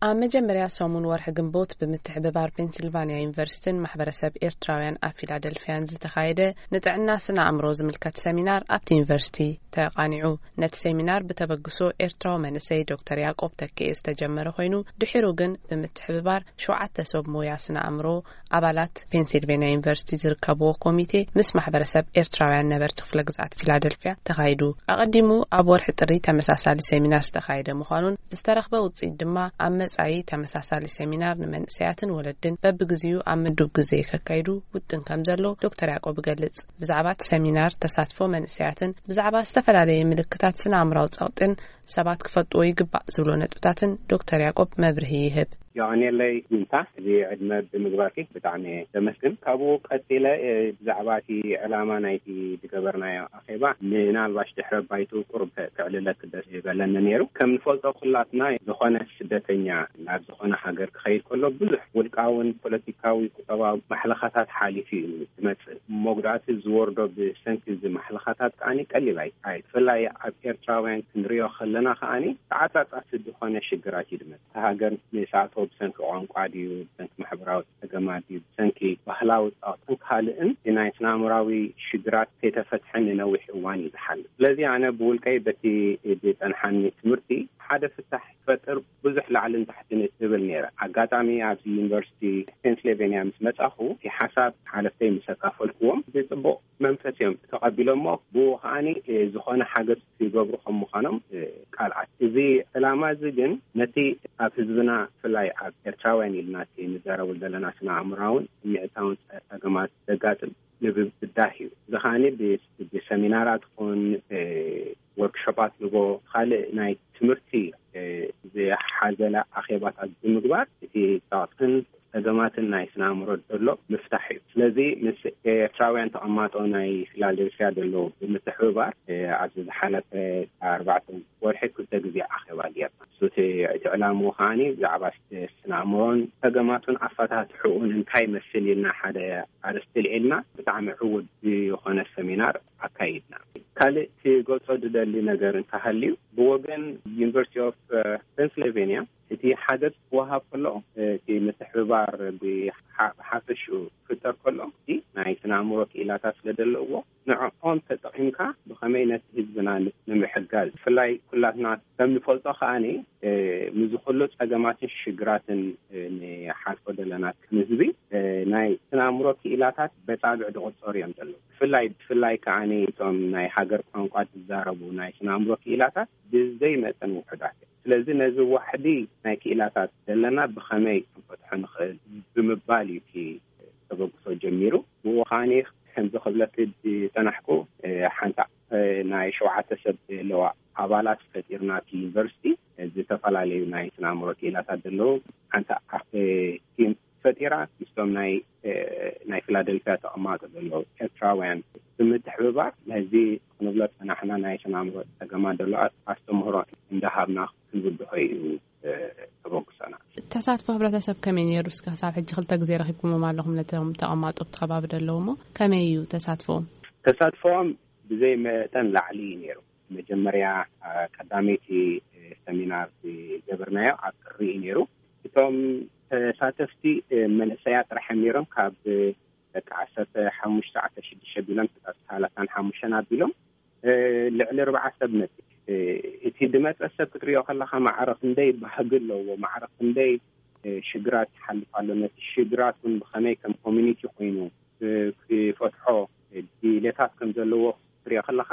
ኣብ መጀመርያ ሰሙን ወርሒ ግንቦት ብምትሕብባር ፔንሲልቫንያ ዩኒቨርሲቲን ማሕበረሰብ ኤርትራውያን ኣብ ፊላደልፊያን ዝተኻየደ ንጥዕና ስነ ኣእምሮ ዝምልከት ሰሚናር ኣብቲ ዩኒቨርሲቲ ተቓኒዑ። ነቲ ሰሚናር ብተበግሶ ኤርትራዊ መንእሰይ ዶክተር ያዕቆብ ተኪኤ ዝተጀመረ ኮይኑ፣ ድሒሩ ግን ብምትሕብባር ሸውዓተ ሰብ ሞያ ስነ ኣእምሮ ኣባላት ፔንሲልቬንያ ዩኒቨርሲቲ ዝርከብዎ ኮሚቴ ምስ ማሕበረሰብ ኤርትራውያን ነበርቲ ክፍለ ግዝኣት ፊላደልፊያ ተኻይዱ። ኣቐዲሙ ኣብ ወርሒ ጥሪ ተመሳሳሊ ሰሚናር ዝተኻየደ ምዃኑን ብዝተረኽበ ውጽኢት ድማ ኣብ መጻኢ ተመሳሳሊ ሰሚናር ንመንእሰያትን ወለድን በብግዚኡ ኣብ ምዱብ ግዜ ከካይዱ ውጥን ከም ዘሎ ዶክተር ያዕቆብ ይገልጽ። ብዛዕባ እቲ ሰሚናር ተሳትፎ መንእሰያትን ብዛዕባ ዝተፈላለየ ምልክታት ስነ ኣእምራዊ ጸቕጥን ሰባት ክፈልጥዎ ይግባእ ዝብሎ ነጥብታትን ዶክተር ያዕቆብ መብርሂ ይህብ። የቐንየለይ ዊንታ፣ እዚ ዕድመ ብምግባርኪ ብጣዕሚ እየ ዘመስግን። ካብኡ ቀጺለ፣ እ፣ ብዛዕባ እቲ ዕላማ ናይቲ ዝገበርናዮ ኣኼባ ምናልባሽ ድሕረ ባይቱ ቁሩብ ከ-፣ ከዕልለኪ ደስ ይበለኒ ነይሩ። ከም ንፈልጦ ኩላትና ዝኾነ ስደተኛ ናብ ዝኾነ ሃገር ክኸይድ ከሎ ብዙሕ ውልቃውን ፖለቲካዊ ቁጠባዊ ማሕለኻታት ሓሊፉ እዩ ዝመጽእ። መጉዳእቲ ዝወርዶ ብሰንኪ እዚ ማሕለኻታት ከኣ ቀሊል ኣይ-፣ ኣይ-፣ ብፍላይ ኣብ ኤርትራውያን ክንሪኦ ከለና ከኣ ተዓጻጻፊ ዝኾነ ሽግራት እዩ ዝመጽእ። እታ ሃገር ንሳቶ ብሰንኪ ቋንቋ ድዩ፣ ብሰንኪ ማሕበራዊ ጸገማት ድዩ፣ ብሰንኪ ባህላዊ ጸቕጥን ካልእን ናይ ስነ ኣእምራዊ ሽግራት ከይተፈትሐ ንነዊሕ እዋን እዩ ዝሓልፍ። ስለዚ ኣነ ብውልቀይ በቲ ዝጸንሓኒ ትምህርቲ ሓደ ፍታሕ ክፈጥር ብዙሕ ላዕልን ታሕትን እብል ነይረ። ኣጋጣሚ ኣብዚ ዩኒቨርሲቲ ፔንስልቬንያ ምስ መጻኹ እቲ ሓሳብ ሓለፍተይ ምስ ኣካፈልኩዎም ብጽቡቕ መንፈስ እዮም ተቐቢሎሞ። ብኡ ከኣኒ፣ እ፣ ዝኾነ ሓገዝ ክገብሩ ከም ምዃኖም፣ እ፣ ቃል ኣት-፣ እዚ ዕላማ እዚ ግን ነቲ ኣብ ህዝብና ብፍላይ ኣብ ኤርትራውያን ኢልና እቲ ንዛረቡ ዘለና ስነ ኣእምራውን ስምዒታውን ጸ-፣ ጸገማት ዘጋጥም ንምብዳህ እዩ። እዚ ከኣኒ ብ-፣ ብሰሚናራት ይኹን፣ እ፣ ወርክሾፓት ንጎ ካልእ ናይ ትምህርቲ፣ እ፣ ዝሓዘለ ኣኼባታት ብምግባር እቲ ጸቕጥን ጸገማትን ናይ ስነ ኣእምሮ ዘሎ ምፍታሕ እዩ። ስለዚ ምስ ኤርትራውያን ተቐማጦ ናይ ፊላደልፊያ ዘለዉ ብምትሕብባር፣ እ፣ ኣብዚ ዝሓለፈ ኣርባዕተ ወርሒ ክልተ ግዜ ኣኼባ ጌርና። እሱ እቲ፣ እቲ ዕላምኡ ከኣኒ ብዛዕባ ስነ ኣእምሮን ጸገማቱን ኣፈታትሕኡን እንታይ ይመስል ኢልና ሓደ ኣርእስቲ ልዒልና ብጣዕሚ ዕዉት ዝኾነ ሰሚናር ኣካይድና። ካልእ ክገልጾ ዝደሊ ነገር እንተሃልዩ፣ ብወገን ዩኒቨርሲቲ ኦፍ፣ እ፣ ፔንስልቬንያ እቲ ሓገዝ ክወሃብ ከሎ፣ እቲ ምትሕብባር ብሓ-፣ ብሓፈሽኡ ክፍጠር ከሎ፣ እቲ ናይ ስነ ኣእምሮ ክኢላታት ስለ ዘለውዎ፣ ንዕኦም ተጠቒምካ ብኸመይ ነቲ ህዝብና ን-፣ ንምሕጋዝ፣ ብፍላይ ኩላትና ከም ንፈልጦ ከኣኒ፣ እ፣ ምስዚ ኩሉ ጸገማትን ሽግራትን፣ እ፣ ንሓልፎ ዘለና ከም ህዝቢ፣ እ፣ ናይ ስነ ኣእምሮ ክኢላታት በጻብዕ ዝቑጸሩ እዮም ዘለዉ። ብፍላይ፣ ብፍላይ ከኣኒ እቶም ናይ ሃገር ቋንቋ ዝዛረቡ ናይ ስነ ኣእምሮ ክኢላታት ብዘይ መጠን ውሑዳት እዮም። ስለዚ ነዚ ዋሕዲ ናይ ክኢላታት ዘለና ብኸመይ ክንፈትሖ ንኽእል ብምባል እዩ እቲ ተበግሶ ጀሚሩ። ብኡ ከኣኒ ከምዚ ክብለኪ ዝጸናሕኩ፣ እ፣ ሓንቲ፣ እ፣ ናይ ሸውዓተ ሰብ ዘለዋ ኣባላት ፈጢርና እቲ ዩኒቨርሲቲ፣ እ፣ ዝተፈላለዩ ናይ ስነ ኣእምሮ ክኢላታት ዘለዉ ሓንቲ፣ እ፣ ቲም ፈጢራ ምስቶም ናይ፣ እ፣ ናይ ፊላደልፊያ ተቐማጦ ዘለዉ ኤርትራውያን ብምትሕብባር ነዚ ክንብሎ ጸናሕና ናይ ስነ ኣእምሮ ጸገማት ዘለዋ ኣስተምህሮ እንዳሃብና ክንብድሆ እዩ፣ እ፣ ተበግሶና። ተሳትፎ ሕብረተሰብ ከመይ ነይሩ? እስከ ክሳብ ሕጂ ክልተ ግዜ ረኺብኩሞም ኣለኹም ነቶም ተቐማጦ ኣብቲ ከባቢ ዘለዉ እሞ ከመይ እዩ ተሳትፎኦም? ተሳትፎኦም ብዘይ መጠን ላዕሊ እዩ ነይሩ። መጀመርያ፣ እ፣ ቀዳመይቲ፣ እ፣ ሰሚናር ዝገበርናዮ ኣብ ጥሪ እዩ ነይሩ። እቶም ተሳተፍቲ፣ እ፣ መንእሰያት ጥራሕ እዮም ነይሮም። ካብ ደቂ ዓሰርተ ሓሙሽተ፣ ዓሰርተ ሽዱሽተ ቢሎም፣ ክሳብ ሰላሳን ሓሙሽተን ኣቢሎም፣ እ፣ ልዕሊ ኣርብዓ ሰብ መጺ። እ፣ እቲ ዝመጸ ሰብ ክትሪኦ ከለኻ ማዕረ ክንደይ ባህጊ ኣለዎ፣ ማዕረ ክንደይ፣ እ፣ ሽግራት ይሓልፍ ኣሎ። ነቲ ሽግራት እውን ብኸመይ ከም ኮሚኒቲ ኮይኑ፣ እ፣ ክፈትሖ፣ እ፣ ድሌታት ከም ዘለዎ ክትሪኦ ከለኻ፣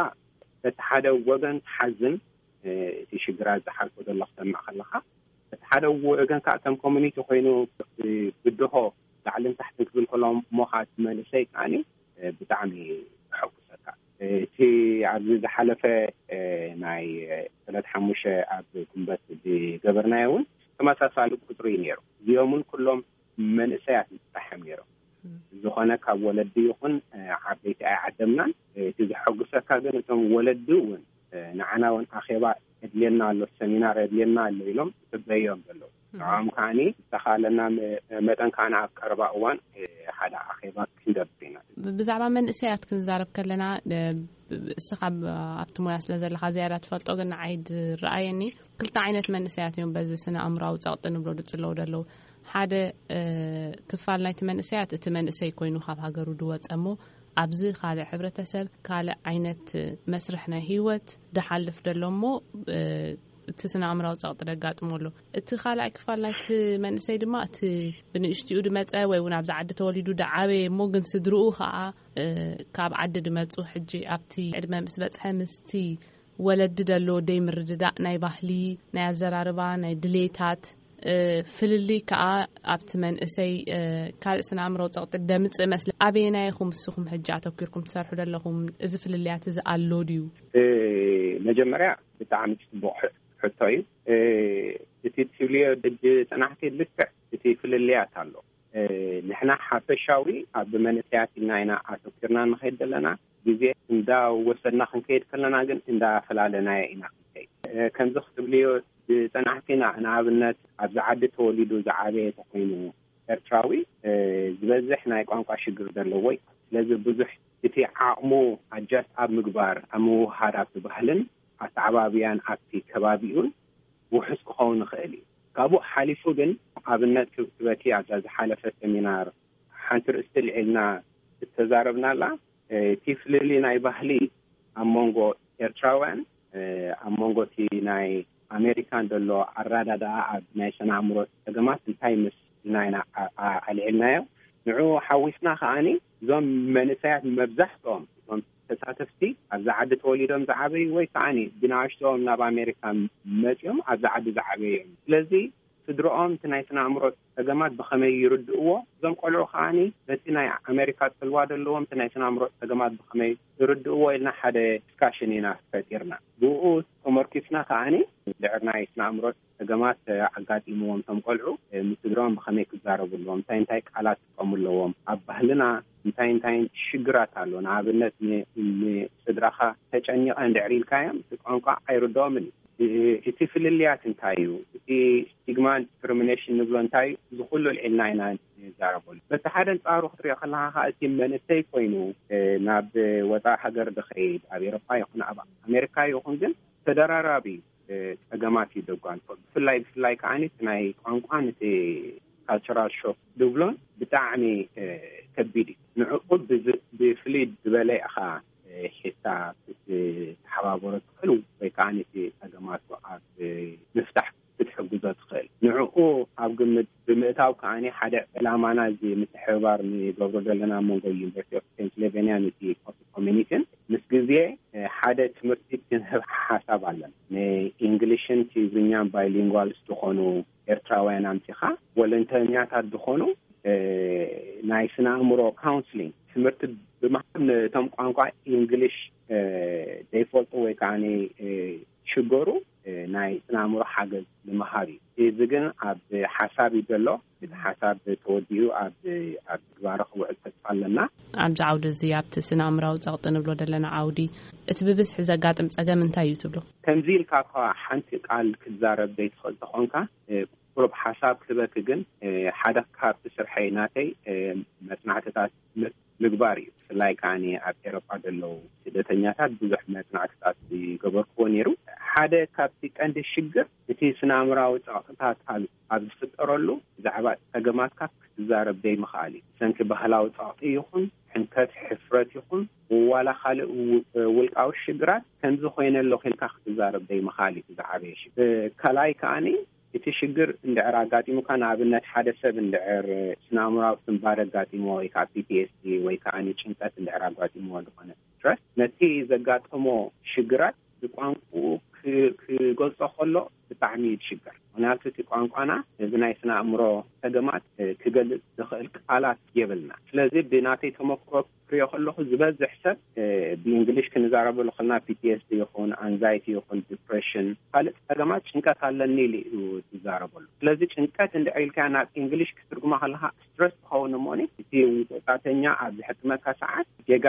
በቲ ሓደ ወገን ትሓዝን፣ እ፣ እቲ ሽግራት ዝሓልፎ ዘሎ ክሰምዕ ከለኻ፣ በቲ ሓደ ወገን ከዓ ከም ኮሚኒቲ ኮይኑ፣ እ፣ ብድሆ ላዕልን ታሕትን ክብል ከሎ እሞ ከዓ እቲ መንእሰይ ከዓኒ፣ እ፣ ብጣዕሚ የሐጉሰካ። እ፣ እቲ ኣብዚ ዝሓለፈ፣ እ፣ ናይ፣ እ፣ ዕለት ሓሙሽተ ኣብ ጉንበት ዝገበርናዮ እውን ተመሳሳሊ ቁፅሪ እዩ ነይሩ። እዚኦም እውን ኩሎም መንእሰያት ጥራሕ እዮም ነይሮም። ዝኾነ ካብ ወለዲ ይኹን፣ እ፣ ዓበይቲ ኣይዓደምናን። እ፣ እቲ ዘሐጉሰካ ግን እቶም ወለዲ እውን፣ እ፣ ንዓና እውን ኣኼባ የድልየና ኣሎ፣ ሰሚናር የድልየና ኣሎ ኢሎም ይጽበዩ እዮም ዘለዉ። ንዕኦም ከዓኒ ዝተኻለና መ-፣ መጠን ከዓኒ ኣብ ቀረባ እዋን፣ እ፣ ሓደ ኣኼባ ክንገብር ኢና። ብ-፣ ብዛዕባ መንእሰያት ክንዛረብ ከለና፣ እ፣ እስኻ ኣብ- ኣብቲ ሞያ ስለ ዘለኻ ዝያዳ ትፈልጦ፣ ግን ንዓይ ዝረኣየኒ ክልተ ዓይነት መንእሰያት እዮም በዚ ስነ ኣእምሮኣዊ ጸቕጢ ንብሎ ዝጽለዉ ዘለዉ። ሓደ ክፋል ናይቲ መንእሰያት እቲ መንእሰይ ኮይኑ ካብ ሃገሩ ዝወጸ እሞ ኣብዚ ካልእ ሕብረተሰብ ካልእ ዓይነት መስርሕ ናይ ህይወት ድሓልፍ ዘሎ እሞ እቲ ስነ ኣእምራዊ ጸቕጢ ደጋጥሞ ኣሎ። እቲ ካልኣይ ክፋል ናይቲ መንእሰይ ድማ እቲ ብንእሽትኡ ድመጸ ወይ እውን ኣብዚ ዓዲ ተወሊዱ ድዓበየ እሞ ግን ስድርኡ ከዓ ካብ ዓዲ ድመጹ ሕጂ ኣብቲ ዕድመ ምስ በጽሐ ምስቲ ወለዲ ደሎ ደይ ምርድዳእ ናይ ባህሊ ናይ ኣዘራርባ ናይ ድሌታት ፍልልይ ከዓ ኣብቲ መንእሰይ ካልእ ስነ ኣእምሮ ጸቕጢ ደምጽእ መስለ። ኣበየናይ ኢኹም ንስኹም ሕጂ ኣተኪርኩም ትሰርሑ ዘለኹም? እዚ ፍልልያት እዚ ኣሎ ድዩ? መጀመርያ ብጣዕሚ ጽቡቕ ሕቶ እዩ። እቲ ትብልዮ ሕጂ ጽናሕቲ ልክዕ እቲ ፍልልያት ኣሎ። ንሕና ሓፈሻዊ ኣብ መንእሰያት ኢልና ኢና ኣተኪርና ንኸይድ ዘለና። ግዜ እንዳወሰድና ክንከይድ ከለና ግን እንዳፈላለናዮ ኢና ክንከይድ። ከምዚ ክትብልዮ ዝጸናሕኪና ንኣብነት ኣብዚ ዓዲ ተወሊዱ ዝዓበየ ተኮይኑ ኤርትራዊ ዝበዝሕ ናይ ቋንቋ ሽግር ዘለዎ እዩ። ስለዚ ብዙሕ እቲ ዓቕሙ ኣጃስት ኣብ ምግባር ኣብ ምውሃድ ኣብቲ ባህልን ኣተዓባብያን ኣብቲ ከባቢኡን ውሑስ ክኸውን ይኽእል እዩ። ካብኡ ሓሊፉ ግን ኣብነት ክብትበኪ ኣብዛ ዝሓለፈ ሰሚናር ሓንቲ ርእስቲ ልዒልና እተዛረብናላ እቲ ፍልልይ ናይ ባህሊ ኣብ መንጎ ኤርትራውያን ኣብ መንጎ እቲ ናይ ኣሜሪካን ዘሎ ኣረዳድኣ ኣብ ናይ ስነ ኣእምሮ ጸገማት እንታይ ምስ ኢልና ኢና ኣልዒልናዮ። ንዑ ሓዊስና ከዓኒ እዞም መንእሰያት መብዛሕትኦም እዞም ተሳተፍቲ ኣብዚ ዓዲ ተወሊዶም ዝዓበዩ ወይ ከዓኒ ብንኣሽትኦም ናብ ኣሜሪካ መጺኦም ኣብዚ ዓዲ ዝዓበዩ እዮም። ስለዚ ስድርኦም እቲ ናይ ስነ ኣእምሮ ጸገማት ብኸመይ ይርድእዎ፣ እዞም ቆልዑ ከዓኒ ነቲ ናይ ኣሜሪካ ጽልዋ ዘለዎም እቲ ናይ ስነ ኣእምሮ ጸገማት ብኸመይ ይርድእዎ ኢልና ሓደ ዲስካሽን ኢና ፈጢርና። ብኡ ተመርኪስና ከዓኒ ድሕር ናይ ስነ ኣእምሮ ጸገማት ኣጋጢምዎም እቶም ቆልዑ ምስ ስድርኦም ብኸመይ ክዛረቡ ኣለዎም፣ እንታይ እንታይ ቃላት ክጥቀሙ ኣለዎም፣ ኣብ ባህልና እንታይ እንታይ ሽግራት ኣሎ። ንኣብነት ንስድራኻ ተጨኒቐ እንድሕር ኢልካዮም እቲ ቋንቋ ኣይርድኦምን እዩ። እቲ ፍልልያት እንታይ እዩ? እቲ ስቲግማን ዲስክሪሚኔሽን ንብሎ እንታይ እዩ? እዚ ኩሉ ልዒልና ኢና ንዛረበሉ። በቲ ሓደ ኣንጻሩ ክትሪኦ ከለኻ ከዓ እቲ መንእሰይ ኮይኑ ናብ ወፃኢ ሃገር ድኸይድ ኣብ ኤሮፓ ይኹን ኣብ ኣሜሪካ ይኹን ግን ተደራራቢ ፀገማት እዩ ደጓንፎ። ብፍላይ ብፍላይ ከዓ እቲ ናይ ቋንቋን እቲ ካልቸራል ሾክ ድብሎን ብጣዕሚ ከቢድ እዩ። ንዕኡ ብፍልይ ዝበለ ኢኻ ሒዝካ ክትተሓባበሮ ትኽእል ወይ ከዓ ነቲ ፀገማቱ ኣብ ምፍታሕ ክትሕግዞ ትኽእል። ንዕኡ ኣብ ግምት ብምእታው ከዓ ሓደ ዕላማና እዚ ምትሕብባር ንገብሮ ዘለና መንጎ ዩኒቨርሲቲ ኦፍ ፔንስልቬንያ ነቲ ኮሚኒቲን ምስ ግዜ ሓደ ትምህርቲ ክንህብ ሓሳብ ኣለን። ንኢንግሊሽን ትግርኛን ባይሊንጓልስ ዝኾኑ ኤርትራውያን ኣምፂኻ ወለንተኛታት ዝኾኑ ናይ ስነ ኣእምሮ ካውንስሊንግ ትምህርቲ ብምሃብ ነቶም ቋንቋ ኢንግሊሽ ዘይፈልጡ ወይ ከዓ ሽገሩ ናይ ስነ ኣእምሮ ሓገዝ ንምሃብ እዩ። እዚ ግን ኣብ ሓሳብ እዩ ዘሎ። እቲ ሓሳብ ተወዲኡ ኣብ ኣብ ግባረ ክውዕል ተስፋ ኣለና። ኣብዚ ዓውዲ እዚ ኣብቲ ስነ ኣእምራዊ ፀቕጢ ንብሎ ዘለና ዓውዲ እቲ ብብዝሒ ዘጋጥም ፀገም እንታይ እዩ ትብሉ? ከምዚ ኢልካ እኳ ሓንቲ ቃል ክትዛረብ ዘይትኽእል ተኾንካ ቁሩብ ሓሳብ ክህበኪ ግን ሓደ ካብቲ ስርሐይ ናተይ መፅናዕትታት ምግባር እዩ። ብፍላይ ከዓ ኣብ ኤሮጳ ዘለዉ ስደተኛታት ብዙሕ መፅናዕትታት ዝገበርክዎ ነይሩ። ሓደ ካብቲ ቀንዲ ሽግር እቲ ስነ ኣእምራዊ ፀቕጥታት ኣብ ዝፍጠረሉ ብዛዕባ ፀገማትካ ክትዛረብ ዘይምኽኣል እዩ። ብሰንኪ ባህላዊ ፀቕጢ ይኹን ሕንከት፣ ሕፍረት ይኹን ዋላ ካልእ ውልቃዊ ሽግራት ከምዚ ኮይነ ኣለኹ ኢልካ ክትዛረብ ዘይምኽኣል እዩ ዝዓበየ ሽግር። ካልኣይ ከዓኒ እቲ ሽግር እንድዕር ኣጋጢሙካ፣ ንኣብነት ሓደ ሰብ እንድዕር ስነ ኣእምራዊ ስንባደ ኣጋጢሞ ወይ ከዓ ፒ ቲ ኤስ ዲ ወይ ከዓ ጭንቀት እንድዕር ኣጋጢሞ ዝኾነ ስትረስ ነቲ ዘጋጠሞ ሽግራት ብቋንቁኡ ክገልጾ ከሎ ብጣዕሚ ይሽገር። ምክንያቱ እቲ ቋንቋና እዚ ናይ ስነ ኣእምሮ ጸገማት ክገልጽ ዝኽእል ቃላት የብልና። ስለዚ ብናተይ ተመክሮ ክሪኦ ከለኹ ዝበዝሕ ሰብ ብእንግሊሽ ክንዛረበሉ ከለና ፒ ቲ ኤስ ዲ ይኹን ኣንዛይቲ ይኹን ዲፕሬሽን ካልእ ጸገማት ጭንቀት ኣለኒ ኢሉ እዩ ዝዛረበሉ። ስለዚ ጭንቀት እንድዕር ኢልካ ናብ እንግሊሽ ክትርጉማ ከለካ ስትረስ ትኸውን እሞኒ እቲ ወጣተኛ ኣብ ዝሕክመካ ሰዓት ጌጋ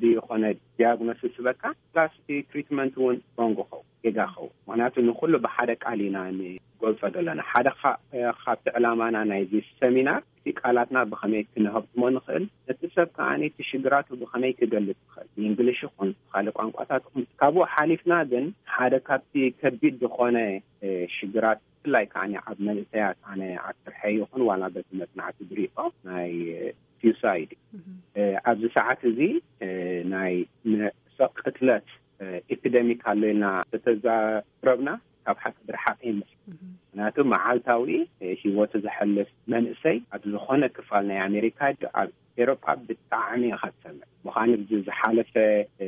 ድዩ ኮነ ዲያግኖሲስ ዝበካ ፕላስ እቲ ትሪትመንት እውን ሮንግ ኸው ጌጋ ኸው ምክንያቱ ንኩሉ ብሓደ ኣሊና ንገልጾ ዘለና። ሓደ ካ-፣ ካብቲ ዕላማና ናይዚ ሰሚናር እቲ ቃላትና ብኸመይ ክንሀብትሞ ንኽእል፣ እቲ ሰብ ከኣ እቲ ሽግራቱ ብኸመይ ክገልጽ ይኽእል፣ ብእንግሊሽ ይኹን ካልእ ቋንቋታት ይኹን። ካብኡ ሓሊፍና ግን ሓደ ካብቲ ከቢድ ዝኾነ፣ እ፣ ሽግራት ብፍላይ ከኣ ኣብ መንእሰያት ኣነ ኣብ ስርሐይ ይኹን ዋላ በቲ መጽናዕቲ ዝሪኦ ናይ፣ እ፣ ሱሳይድ፣ እ፣ ኣብዚ ሰዓት እዚ፣ እ፣ ናይ ነፍሰ ቅትለት፣ እ፣ ኤፒደሚክ ኣሎ ኢልና ተተዛረብና ካብ ሓቂ ብርሓቕ ይመስል። ምኽንያቱ መዓልታዊ፣ እ፣ ህይወቱ ዘሕልፍ መንእሰይ ኣብ ዝኾነ ክፋል ናይ ኣሜሪካ፣ ኣብ ኤሮጳ ብጣዕሚ ኢኻ ትሰምዕ። ምዃኑ እዚ ዝሓለፈ፣ እ፣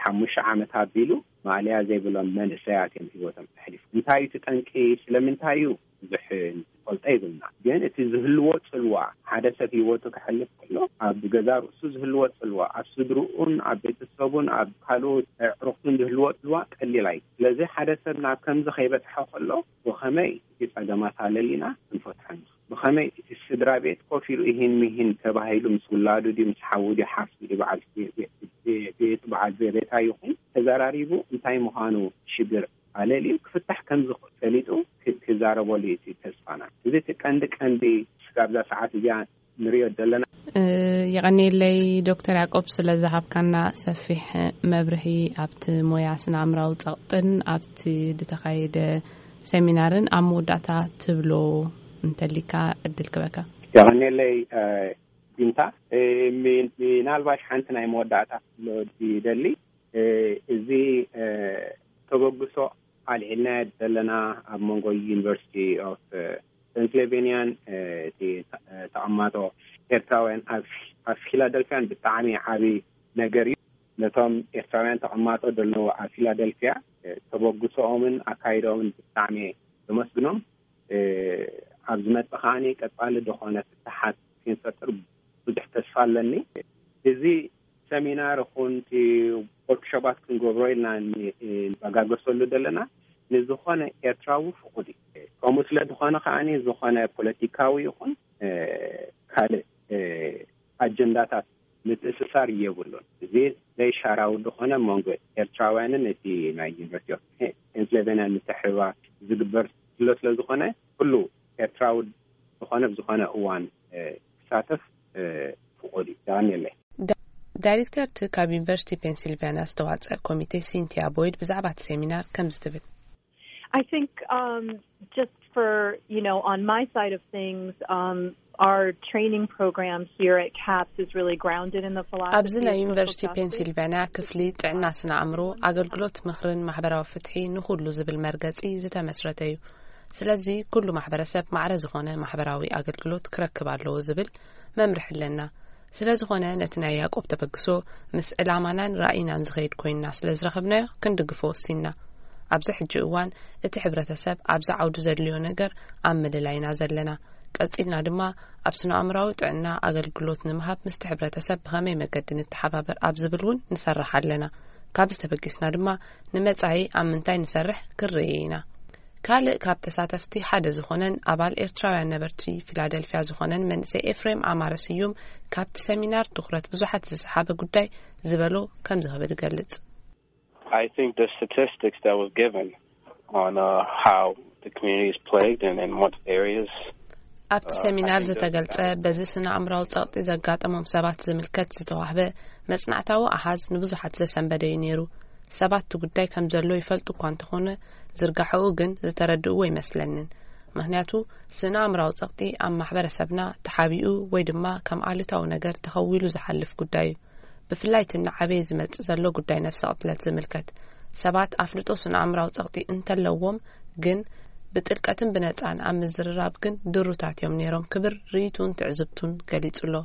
ሓሙሽተ ዓመት ኣቢሉ ማእለያ ዘይብሎም መንእሰያት እዮም ህይወቶም ኣሕሊፉ። እንታይ እዩ እቲ ጠንቂ? ስለምንታይ እዩ? ብዙሕ ንፈልጦ የብልና። ግን እቲ ዝህልዎ ጽልዋ፣ ሓደ ሰብ ህይወቱ ከሕልፍ ከሎ ኣብ ገዛ ርእሱ ዝህልዎ ጽልዋ፣ ኣብ ስድርኡን ኣብ ቤተሰቡን ኣብ ካልኦት ኣዕሩኽቱን ዝህልዎ ጽልዋ ቀሊል ኣይ-፣ ስለዚ ሓደ ሰብ ናብ ከምዚ ከይበጽሖ ከሎ ብኸመይ እቲ ጸገማት ኣለሊና ክንፈትሖ ንኽእል? ብኸመይ እቲ ስድራ ቤት ኮፍ ኢሉ ይህን ምሂን ተባሂሉ ምስ ውላዱ ድዩ፣ ምስ ሓዉ ድዩ፣ ሓፍቱ ድዩ፣ በዓል ቤ-፣ ቤ-፣ ቤ-፣ ቤቱ በዓል ቤታ ይኹን ተዘራሪቡ እንታይ ምዃኑ ሽግር ኣለልዩ ክፍታሕ ከም ዝኽእል ፈሊጡ ክ-፣ ክዛረበሉ እዩ እቲ ተስፋና። እዚ እቲ ቀንዲ ቀንዲ ስጋብ እዛ ሰዓት እዚኣ ንሪኦ ዘለና። እ፣ የቐንየለይ ዶክተር ያዕቆብ ስለ ዝሃብካና ሰፊሕ መብርሂ ኣብቲ ሞያ ስነ ኣእምራዊ ጸቕጥን ኣብቲ ዝተኻየደ ሰሚናርን ኣብ መወዳእታ ትብሎ እንተሊካ ዕድል ክበካ። የቐንየለይ፣ እ፣ ቢንታ፣ እ፣ ሚ-፣ ምናልባሽ ሓንቲ ናይ መወዳእታ ክብሎ ዝደሊ፣ እ፣ እዚ፣ እ፣ ተበግሶ ኣልዒልናዮ ዘለና ኣብ መንጎ ዩኒቨርሲቲ ኦፍ፣ እ፣ ፔንስልቬንያን፣ እ፣ እቲ ተ-፣ እ፣ ተቐማጦ ኤርትራውያን ኣብ፣ ኣብ ፊላደልፊያን ብጣዕሚ ዓቢ ነገር እዩ። ነቶም ኤርትራውያን ተቐማጦ ዘለዉ ኣብ ፊላደልፊያ፣ እ፣ ተበግሶኦምን ኣካይዶኦምን ብጣዕሚ ዘመስግኖም። እ፣ ኣብ ዝመጽእ ከኣ ቀጻሊ ዝኾነ ፍትሓት ክንፈጥር ብዙሕ ተስፋ ኣለኒ። እዚ ሰሚናር ይኹን እቲ ወርክሾፓት ክንገብሮ ኢልና ን-፣ ንበጋገሰሉ ዘለና ንዝኾነ ኤርትራዊ ፍቑድ እዩ። ከምኡ ስለ ዝኾነ ከኣ ዝኾነ ፖለቲካዊ ይኹን፣ እ፣ ካልእ፣ እ፣ ኣጀንዳታት ምትእስሳር የብሉን። እዚ ዘይሻራዊ ዝኾነ መንጎ ኤርትራውያንን እቲ ናይ ዩኒቨርሲቲ ኦፍ ፔንስልቬንያ ምትሕብባር ዝግበር ዘሎ ስለ ዝኾነ ኩሉ ኤርትራዊ ዝኾነ ብዝኾነ እዋን፣ እ፣ ክሳተፍ፣ እ፣ ፍቑድ እዩ። ዳንኤል። ዳ-፣ ዳይሬክተር እቲ ካብ ዩኒቨርሲቲ ፔንሲልቫኒያ ዝተዋጸአ ኮሚቴ ሲንቲያ ቦይድ ብዛዕባ እቲ ሴሚናር ከምዚ ትብል። I think, um, just for, you know, on my side of things, um, our training program here at CAPS is really grounded in the philosophy ኣብዚ ናይ of social ዩኒቨርሲቲ justice. ፔንሲልቫኒያ ክፍሊ ጥዕና ስነ ኣእምሮ ኣገልግሎት ምኽርን ማሕበራዊ ፍትሒ ንኹሉ ዝብል መርገጺ ዝተመስረተ እዩ። ስለዚ ኩሉ ማሕበረሰብ ማዕረ ዝኾነ ማሕበራዊ ኣገልግሎት ክረክብ ኣለዎ ዝብል መምርሒ ኣለና። ስለ ዝኾነ ነቲ ናይ ያዕቆብ ተበግሶ ምስ ዕላማናን ራእይናን ዝኸይድ ኮይንና ስለ ዝረኸብናዮ ክንድግፎ ወሲንና። ኣብዚ ሕጂ እዋን እቲ ሕብረተሰብ ኣብዚ ዓውዲ ዘድልዮ ነገር ኣብ ምልላይ ኢና ዘለና። ቀጺልና ድማ ኣብ ስነ ኣእምራዊ ጥዕና ኣገልግሎት ንምሃብ ምስቲ ሕብረተሰብ ብኸመይ መገዲ ንተሓባበር ኣብ ዝብል እውን ንሰርሕ ኣለና። ካብዚ ተበጊስና ድማ ንመጻኢ ኣብ ምንታይ ንሰርሕ ክርኢ ኢና። ካልእ ካብ ተሳተፍቲ ሓደ ዝኾነን ኣባል ኤርትራውያን ነበርቲ ፊላደልፊያ ዝኾነን መንእሰይ ኤፍሬም ኣማረ ስዩም ካብቲ ሰሚናር ትኹረት ብዙሓት ዝሰሓበ ጉዳይ ዝበሎ ከምዚ ክብል ይገልጽ። I think the statistics that was given on, uh, how the community is plagued and in what areas ኣብቲ ሰሚናር ዝተገልጸ በዚ ስነ ኣእምራዊ ጸቕጢ ዘጋጠሞም ሰባት ዝምልከት ዝተዋህበ መጽናዕታዊ ኣሃዝ ንብዙሓት ዘሰንበደ እዩ ነይሩ። ሰባት እቲ ጉዳይ ከም ዘሎ ይፈልጡ እኳ እንተኾነ ዝርጋሐኡ ግን ዝተረድእዎ ይመስለንን። ምኽንያቱ ስነ ኣእምራዊ ጸቕጢ ኣብ ማሕበረሰብና ተሓቢኡ ወይ ድማ ከም ኣሉታዊ ነገር ተኸዊሉ ዝሓልፍ ጉዳይ እዩ። ብፍላይ እቲ እናዓበየ ዝመጽእ ዘሎ ጉዳይ ነፍሰ ቅትለት ዝምልከት ሰባት ኣፍልጦ ስነ ኣእምራዊ ጸቕጢ እንተለዎም ግን ብጥልቀትን ብነጻን ኣብ ምዝርራብ ግን ድሩታት እዮም ነይሮም ክብል ርእይቱን ትዕዝብቱን ገሊጹ ኣሎ።